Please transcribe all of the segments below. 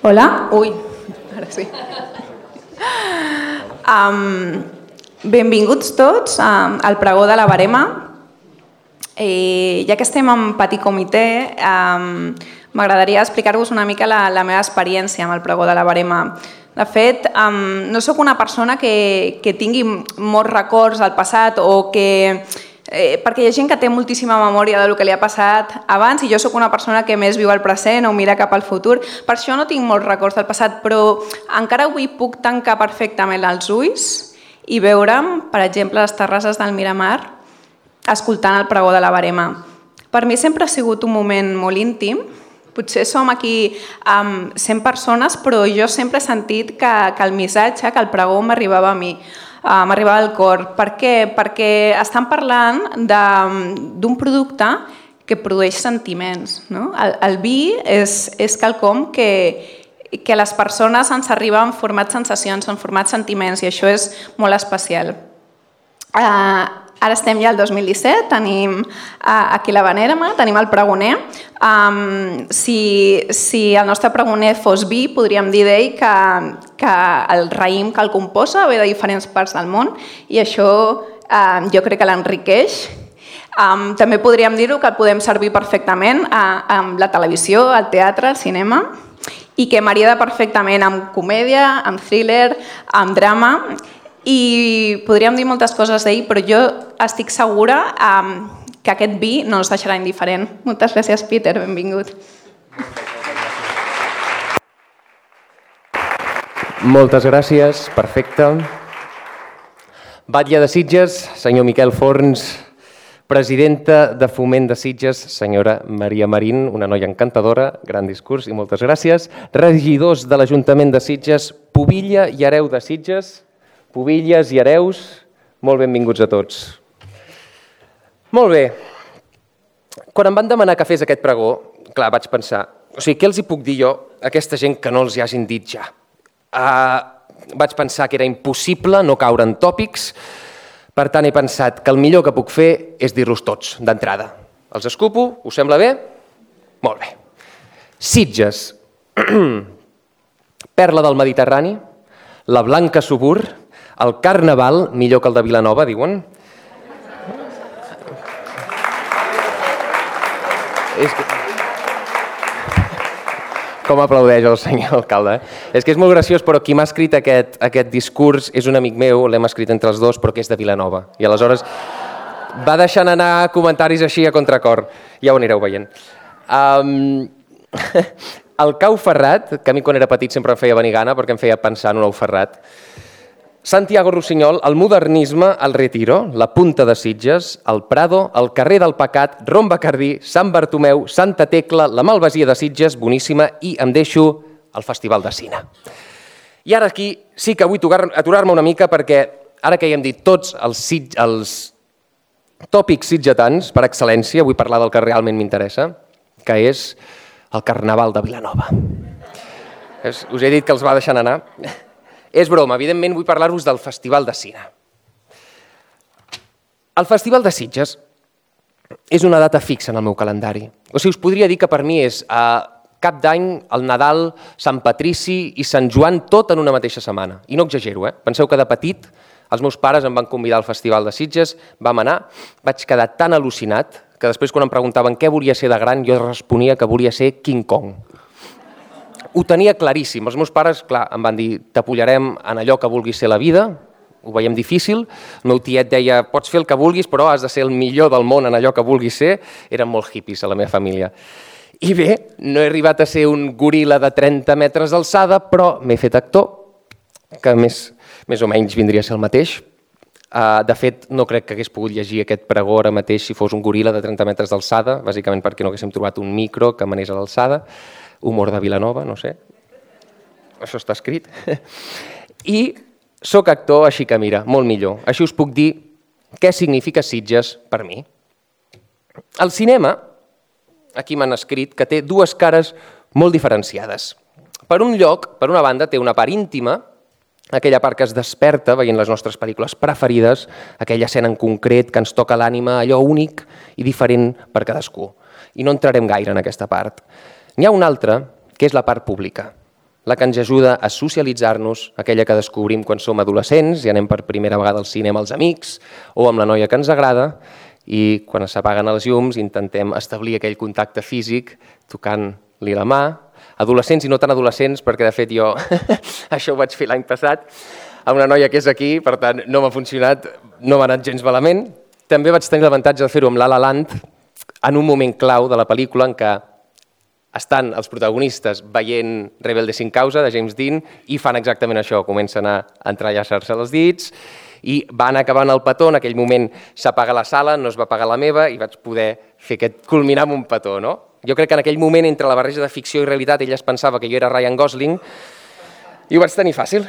Hola. Ui, ara sí. Benvinguts tots al pregó de la Verema. Ja que estem en petit comitè, m'agradaria explicar-vos una mica la meva experiència amb el pregó de la Verema. De fet, no sóc una persona que tingui molts records al passat o que... perquè hi ha gent que té moltíssima memòria del que li ha passat abans i jo sóc una persona que més viu el present o mira cap al futur. Per això no tinc molts records del passat, però encara avui puc tancar perfectament els ulls i veure'm, per exemple, les terrasses del Miramar escoltant el pregó de la Verema. Per mi sempre ha sigut un moment molt íntim. Potser som aquí 100 persones, però jo sempre he sentit que el missatge, que el pregó m'arribava a mi. M'arribava al cor. Per què? Perquè estan parlant d'un producte que produeix sentiments. No? El vi és quelcom que les persones ens arriba en format sensacions, en format sentiments, i això és molt especial. Ara estem ja al 2017, tenim aquí la Verema, tenim el pregoner. Si el nostre pregoner fos vi, podríem dir d'ell que el raïm que el composa ve de diferents parts del món i això jo crec que l'enriqueix. També podríem dir-ho que el podem servir perfectament amb la televisió, el teatre, el cinema i que marida perfectament amb comèdia, amb thriller, amb drama. I podríem dir moltes coses d'ell, però jo estic segura que aquest vi no ens deixarà indiferent. Moltes gràcies, Peter, benvingut. Moltes gràcies, perfecte. Batlle de Sitges, senyor Miquel Forns, presidenta de Foment de Sitges, senyora Maria Marín, una noia encantadora, gran discurs i moltes gràcies. Regidors de l'Ajuntament de Sitges, Pubilla i Hereu de Sitges, Pubilles i Hereus, molt benvinguts a tots. Molt bé. Quan em van demanar que fes aquest pregó, clar, vaig pensar, què els hi puc dir jo a aquesta gent que no els hi hagin dit ja? Vaig pensar que era impossible no caure en tòpics, per tant he pensat que el millor que puc fer és dir-los tots, d'entrada. Els escupo? Us sembla bé? Molt bé. Sitges, perla del Mediterrani, la blanca Subur, el Carnaval, millor que el de Vilanova, diuen. Com aplaudeix el senyor alcalde. És que és molt graciós, però qui m'ha escrit aquest discurs és un amic meu, l'hem escrit entre els dos, però que és de Vilanova. I aleshores va deixant anar comentaris així a contracor. Ja ho anireu veient. El Cau Ferrat, que a mi quan era petit sempre em feia venir gana perquè em feia pensar en un ou ferrat. Santiago Rossinyol, el modernisme, el Retiro, la Punta de Sitges, el Prado, el carrer del Pecat, Rom Bacardí, Sant Bartomeu, Santa Tecla, la Malvasia de Sitges, boníssima, i em deixo el Festival de Cine. I ara aquí sí que vull aturar-me una mica perquè ara que ja hem dit tots els tòpics sitgetans per excel·lència, vull parlar del que realment m'interessa, que és el Carnaval de Vilanova. Us he dit que els va deixant anar. És broma, evidentment vull parlar-vos del Festival de Cine. El Festival de Sitges és una data fixa en el meu calendari. Us podria dir que per mi és Cap d'Any, el Nadal, Sant Patrici i Sant Joan, tot en una mateixa setmana. I no exagero, Penseu que de petit els meus pares em van convidar al Festival de Sitges, vam anar, vaig quedar tan al·lucinat que després quan em preguntaven què volia ser de gran, jo responia que volia ser King Kong. Ho tenia claríssim. Els meus pares, clar, em van dir t'apollarem en allò que vulguis ser la vida, ho veiem difícil. El meu tiet deia pots fer el que vulguis però has de ser el millor del món en allò que vulguis ser. Eren molt hippies a la meva família. I bé, no he arribat a ser un goril·la de 30 metres d'alçada, però m'he fet actor, que més o menys vindria a ser el mateix. De fet, no crec que hagués pogut llegir aquest pregó ara mateix si fos un goril·la de 30 metres d'alçada, bàsicament perquè no haguéssim trobat un micro que m'anés a l'alçada. Humor de Vilanova, no sé. Això està escrit. I soc actor, així que mira, molt millor. Així us puc dir què significa Sitges per mi. El cinema, aquí m'han escrit, que té dues cares molt diferenciades. Per un lloc, per una banda, té una part íntima, aquella part que es desperta veient les nostres pel·lícules preferides, aquella escena en concret que ens toca l'ànima, allò únic i diferent per cadascú. I no entrarem gaire en aquesta part. N'hi ha una altra, que és la part pública. la que ens ajuda a socialitzar-nos, aquella que descobrim quan som adolescents i anem per primera vegada al cinema als amics o amb la noia que ens agrada, i quan s'apaguen els llums intentem establir aquell contacte físic tocant-li la mà. Adolescents i no tan adolescents, perquè de fet jo això ho vaig fer l'any passat amb una noia que és aquí, per tant no m'ha funcionat, no m'ha anat gens malament. També vaig tenir l'avantatge de fer-ho amb La La Land en un moment clau de la pel·lícula en què estan els protagonistes veient Rebelde sin causa de James Dean i fan exactament això, comencen a entrellaçar-se els dits i van acabant el petó, en aquell moment s'apaga la sala, no es va apagar la meva i vaig poder fer aquest culminar amb un petó, no? Jo crec que en aquell moment, entre la barreja de ficció i realitat, ella es pensava que jo era Ryan Gosling i ho vaig tenir fàcil,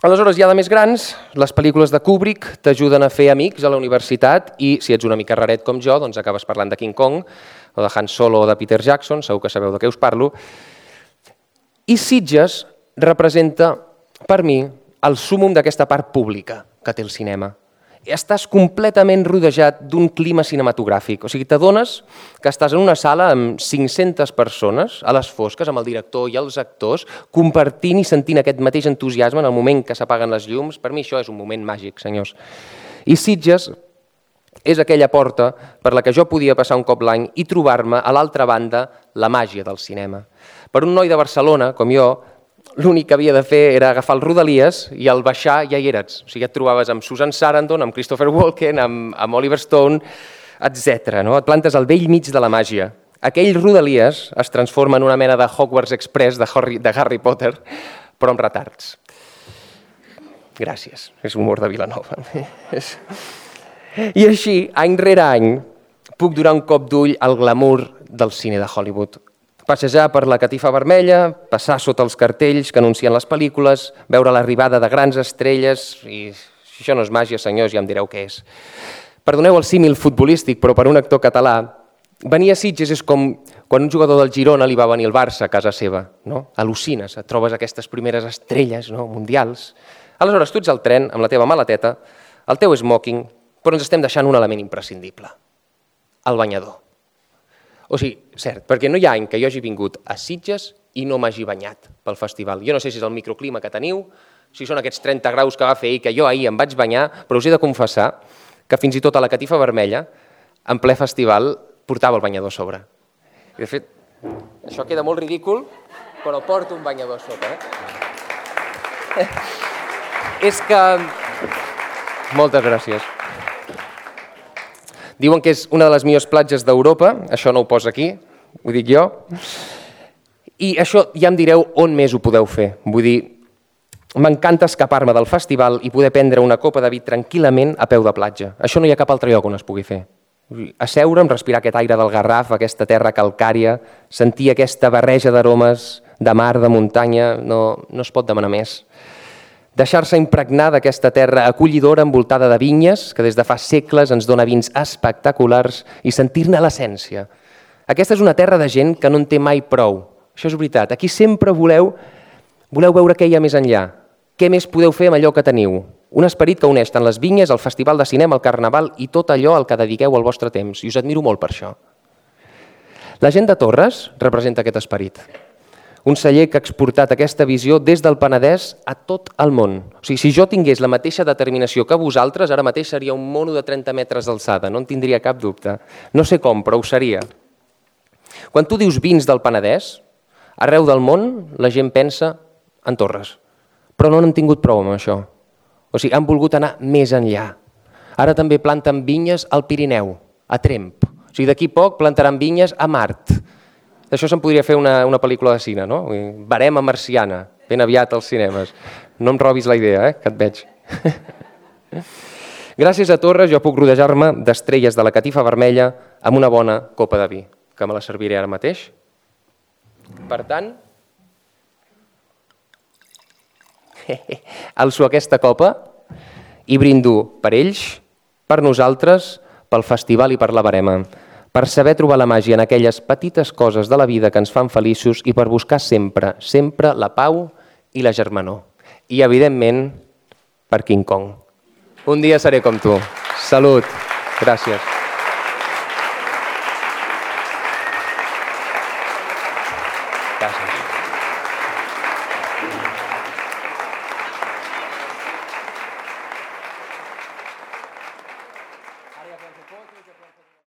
Aleshores, ja de més grans, les pel·lícules de Kubrick t'ajuden a fer amics a la universitat i si ets una mica raret com jo, doncs acabes parlant de King Kong o de Han Solo o de Peter Jackson, segur que sabeu de què us parlo. I Sitges representa, per mi, el súmmum d'aquesta part pública que té el cinema. Estàs completament rodejat d'un clima cinematogràfic. O sigui, t'adones que estàs en una sala amb 500 persones, a les fosques, amb el director i els actors, compartint i sentint aquest mateix entusiasme en el moment que s'apaguen les llums. Per mi això és un moment màgic, senyors. I Sitges és aquella porta per la que jo podia passar un cop l'any i trobar-me a l'altra banda la màgia del cinema. Per un noi de Barcelona, com jo, l'únic que havia de fer era agafar el Rodalies i al baixar ja hi eres. O sigui, et trobaves amb Susan Sarandon, amb Christopher Walken, amb Oliver Stone, etc. No? Et plantes al vell mig de la màgia. Aquell Rodalies es transforma en una mena de Hogwarts Express de Harry Potter, però amb retards. Gràcies, és humor de Vilanova. I així, any rere any, puc donar un cop d'ull al glamour del cine de Hollywood. Passejar per la catifa vermella, passar sota els cartells que anuncien les pel·lícules, veure l'arribada de grans estrelles i si això no és màgia, senyors, ja em direu què és. Perdoneu el símil futbolístic, però per un actor català, venir a Sitges és com quan un jugador del Girona li va venir al Barça a casa seva. No? Al·lucines, et trobes aquestes primeres estrelles mundials. Aleshores, tu ets al tren amb la teva maleteta, el teu smoking, però ens estem deixant un element imprescindible, el banyador. O sigui, cert, perquè no hi ha any que jo hagi vingut a Sitges i no m'hagi banyat pel festival. Jo no sé si és el microclima que teniu, si són aquests 30 graus que va fer ahir, que jo ahir em vaig banyar, però us he de confessar que fins i tot a la catifa vermella, en ple festival, portava el banyador a sobre. I de fet, això queda molt ridícul, però porto un banyador a sobre. És que... Moltes gràcies. Diuen que és una de les millors platges d'Europa, això no ho posa aquí, ho dic jo, i això ja em direu on més ho podeu fer. Vull dir, m'encanta escapar-me del festival i poder prendre una copa de vi tranquil·lament a peu de platja. Això no hi ha cap altre lloc on es pugui fer. Asseure'm, respirar aquest aire del Garraf, aquesta terra calcària, sentir aquesta barreja d'aromes de mar, de muntanya, no es pot demanar més. Deixar-se impregnar d'aquesta terra acollidora envoltada de vinyes que des de fa segles ens dona vins espectaculars i sentir-ne l'essència. Aquesta és una terra de gent que no en té mai prou. Això és veritat. Aquí sempre voleu veure què hi ha més enllà. Què més podeu fer amb allò que teniu? Un esperit que uneix tant les vinyes, el festival de cinema, el carnaval i tot allò al que dediqueu el vostre temps. I us admiro molt per això. La gent de Torres representa aquest esperit. Un celler que ha exportat aquesta visió des del Penedès a tot el món. O sigui, si jo tingués la mateixa determinació que vosaltres, ara mateix seria un mono de 30 metres d'alçada, no en tindria cap dubte. No sé com, però ho seria. Quan tu dius vins del Penedès, arreu del món la gent pensa en Torres, però no n'han tingut prou amb això. O sigui, han volgut anar més enllà. Ara també planten vinyes al Pirineu, a Tremp. O sigui, d'aquí poc plantaran vinyes a Mart. D'això se'n podria fer una pel·lícula de cine, no? Verema marciana, ben aviat als cinemes. No em robis la idea, que et veig. Gràcies a Torres jo puc rodejar-me d'estrelles de la catifa vermella amb una bona copa de vi, que me la serviré ara mateix. Per tant, alço aquesta copa i brindo per ells, per nosaltres, pel festival i per la verema, per saber trobar la màgia en aquelles petites coses de la vida que ens fan feliços i per buscar sempre, sempre la pau i la germanor. I, evidentment, per King Kong. Un dia seré com tu. Salut. Gràcies. Gràcies.